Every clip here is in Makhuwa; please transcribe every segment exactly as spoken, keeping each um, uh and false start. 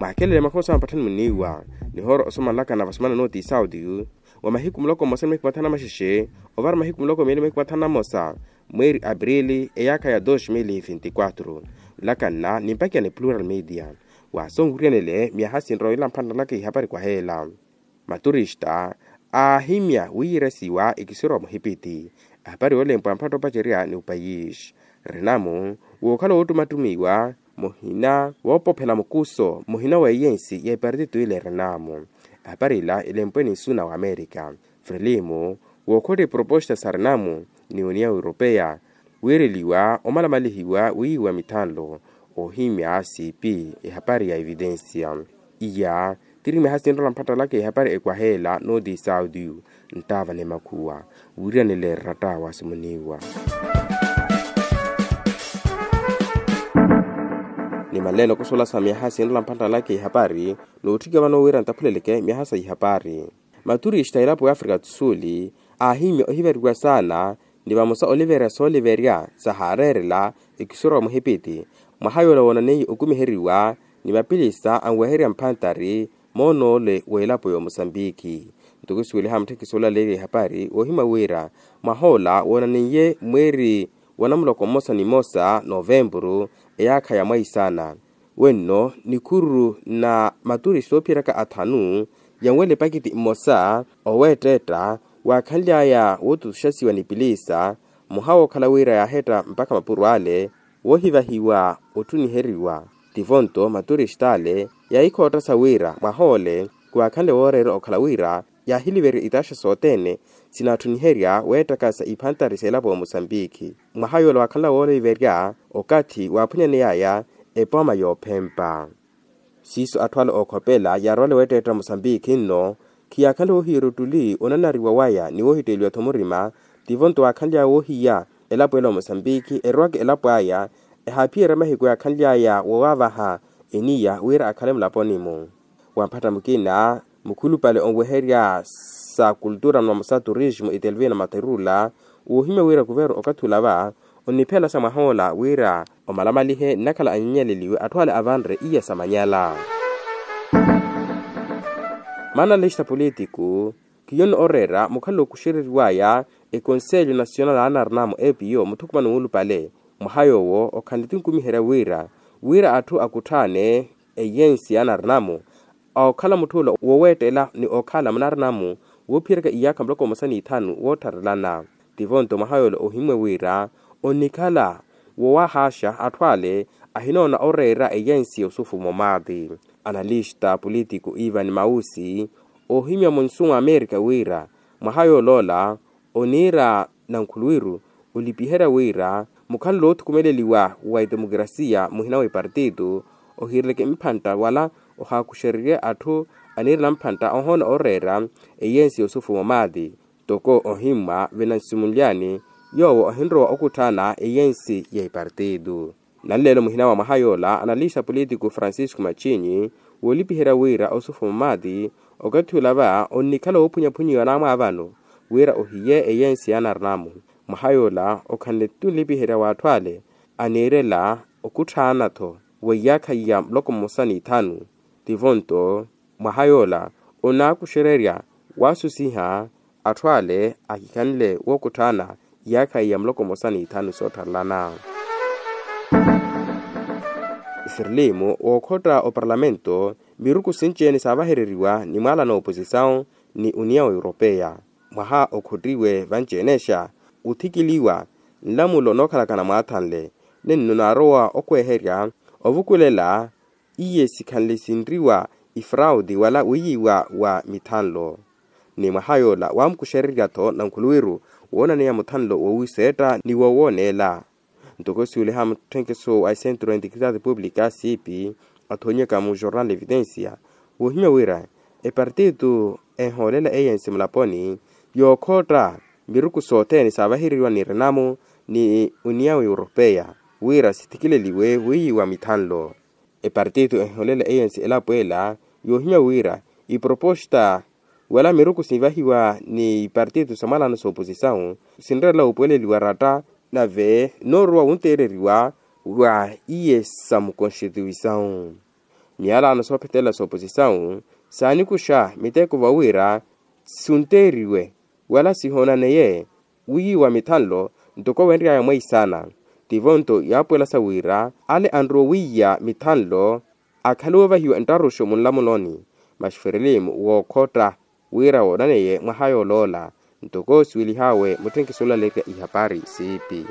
Akelele makhosa mpatthani muniiwa nihoora osomanlakana vasomana nooti saudi wa mahiku muloko mmosa ni mahiku mathanu na maxexe ovara mahiku muloko miili mahiku mathanu na mmosa mweeri aprili eyaakha ya dos mil vinti quatro. Nlakanna nimpakiya ni plural media. Wasonwiryanele myaha sinroyela mphantthalaka ihapari kwaheela maturista aahimya wiiresiwa ikisiro wa muhipiti. Ehapari yoolempwa mpatto opacerya ni upayisi rinamu wookhala woottumattumiwa muhina woopophela mukuso muhina wa eyensi ya epartito ile rinamu. Ehapari ila elempwe ni nsuna wa amerika frelimu wookhottiye proposta sa rinamu ni uniya europeya wiireliwa omalamalihiwa wiiwa mithanlo oohimya siipi ehapari ya evidensia. Iya tiri miyaha sinrola mpattalaka ehapari ekwaheela nooti saudiyu nttaava ni makhuwa wiiriyanile eratta wasimuniwa. Ni manleelo kusolasa miyaha sinrola mpattalaka ehapari nootthika vano wira nttaphuleleke miyaha sa ihapari. Maturista a elapo ya afrika do sul aahimya ohivariwa saana ni vamosa oliverya sooliverya sahaareerela ekisoro wa muhipiti mwaha yoola woonaneiye okumiheriwa ni mapilisa anweherya mphantari moon'ole w'elapo ya omusambiki. Ntoko siweliha mutthekisi olaleeriye ehapari woohimya wira mwah'ola woonaneiye mweeri wa namuloko mmosa ni mmosa novempuru eyaakha ya mwaisana wenno nikhururu na maturista oophiyeraka athanu yanwele pakiti mmosa oweetteetta waakhanly'aya wootutuxasiwa ni piliisa mmoha wookhala wira yaahetta mpakha mapuro ale woohivahiwa ottuniheriwa. Tivo-nto maturista ale yaahikhoottasa wira mwah'ole khwaakhanle wooreera okhala wira yaahiliverya itaaxa sothene sinaattuniherya weettakasa iphantari s'elapo ya musambiki. Mwaha yoola waakhanla wooliverya okathi waaphunyaney'aya epooma yoophempa. Siiso atthu ale ookhopela yaarowale weetteetta musambiki nno khiyaakhanle woohiya eruttuli onanariwa waya ni woohitteeliwa-tho murima. Tivo-nto waakhanly'aya woohiya elapo ela omusambiki erowaka elapo aya ehaaphiyerya mahiku yaakhanly'aya woowavaha eniya wira akhale mulaponi-mu. Wampatha mukina mukhulupale onweherya sa kultura ni mamosa turismo itelvina materula woohimya wira kuveru okathi ula va onniphela sa mwah'ola wira omalamalihe nnakhala anyenyeleliwe atthu ale avanre iya sa manyala. Maana lista politiku khiyo ni oreera mukhalelo okuxereriwaya ekonselho nasional a anarinamu epiyo muthukumano muulupale mwaha yoowo okhanle tinkumiherya wira wira atthu akutthaane eyensi ya anarinamu okhala mutthu ola woweettela ni okhala munarinamu woophiyeraka iyaakha muloko mmosa n'ithanu woottharelana. Tivo-nto mwaha yoola ohimmwe wira onnikhala wowahaaxa atthu ale ahinoona oreera eyensi ya osufumo maati. Analista politiku ivan mausi oohimya munsu mwa amerika wira mwaha yoola ola oniira nankhuluwiru olipiherya wira mukhanle woothukumeleliwa wa etemokrasiya muhina wa epartito ohiireleke mphantta wala ohaakuxererye atthu aniirela mphantta ohoona oreera eyensi ya osufumo maati. Toko ohimmwa vinansimunlyani yoowo ohinrowa okutthaana eyensi ya epartito. Nanleelo muhina wa mwaha yoola analista politiku francisco machinyi woolipiherya wira osufumo maati okathi ula va onnikhala woophunyaphunyiwa naamwaavano wira ohiye eyensi ya anarinamu. Mwaha yoola okhanle tunlipiherya w'atthu ale aniirela okutthaana-tho wa iyaakha iya muloko mmosa n'ithanu. Tivo-nto mwaha yoola onaakuxererya waasusiha atthu ale ahikhanle wookutthaana iyaakha iya muloko mmosa n'ithanu soottharelana. Firlimu wookhotta oparlamento miruku sinci-ene saavahereriwa ni mwaala n'oposisawu ni uniya wa europeya mwaha okhottiwe vanci-enexa othikiliwa nlamulo nookhalakana mwaathanle nenno naarowa okweherya ovukulela iye sikhanle sinriwa ifrauti wala wiiyiwa wa mithanlo. Ni mwaha yoola waamukuxererya-tho nankhuluwiru woonaneya muthanlo woowiseetta ni wowooneela. Ntoko siweliha mutthenkeso wa esentro ya integridade pública siipi athoonyeka mu jornal evidencia woohimya wira epartito enhoolela eyensi mulaponi yookhotta miruku sothene saavahereriwa ni renamu ni uniya europeya wira sithikileliwe wiiyiwa mithanlo. Epartito enhoolela eyensi elapo ela yoohimya wira iproposta wala miruku sinvahiwa ni ipartito sa mwalano sa oposisawu sinreerela wuupuweleliwa ratta nave noorowa wunteereriwa wa iye sa mukonstituisawu. Miyalaano soophetelela sooposisawu saanikuxa miteko vawira sunteeriwe wala sihoonaneye wiiwa mithanlo ntoko wenry'aya mweisana. Tivo-nto yaapwelasa wira ale anrowa owiiya mithanlo akhaluwe ovahiwa nttaruxo munlamuloni. Masi ferelimu wookhotta wira woonaneye mwaha yooloola ntoko siwelihawe mutthenkiso olalerya ihapari siipi.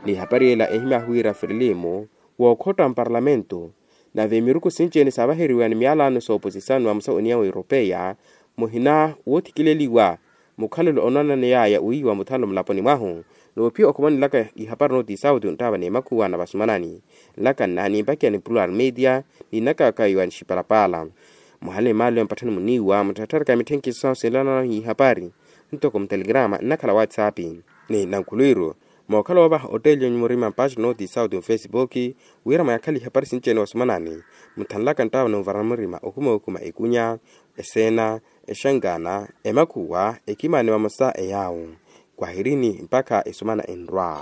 N'ihapari ela ehimyahu wira ferelimu wookhotta mparlamento nave miruku sinci-ene saavaheriwa ni miyalaano sooposisano wa musawo oniya wa europeya muhina woothikileliwa mukhalelo onoonaneyaya wiiwa muthanlo mulaponi mwahu. Noophiya okhuma nilaka ihapari nooti sauti onttaava n'emakhuwa na vasumanani nlaka nna nimpakiya ni plural media ni nnakaka iwa nixipalapala. Muhale maalo ya mpatthani muniiwa mutthattharaka mitthenkiso sinlanana ihapari ntoko mutelegrama nnakhala whatsapp ni nankhulwiru mookhala woovaha otteeli yonyu murima mpaxi nooti sauti mufesipuki wira mwayakhale ihapari sinci-ene wasumanani. Mutthanlaka nttaava n'uvara murima okhuma okhuma ekunya eseena exankaana emakhuwa ekimaani vamosa eyaawu. Kwahirini mpakha esumana enrwa.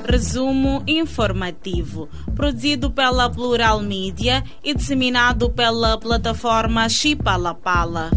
Resumo informativo, produzido pela Plural Media e disseminado pela plataforma Chipalapala.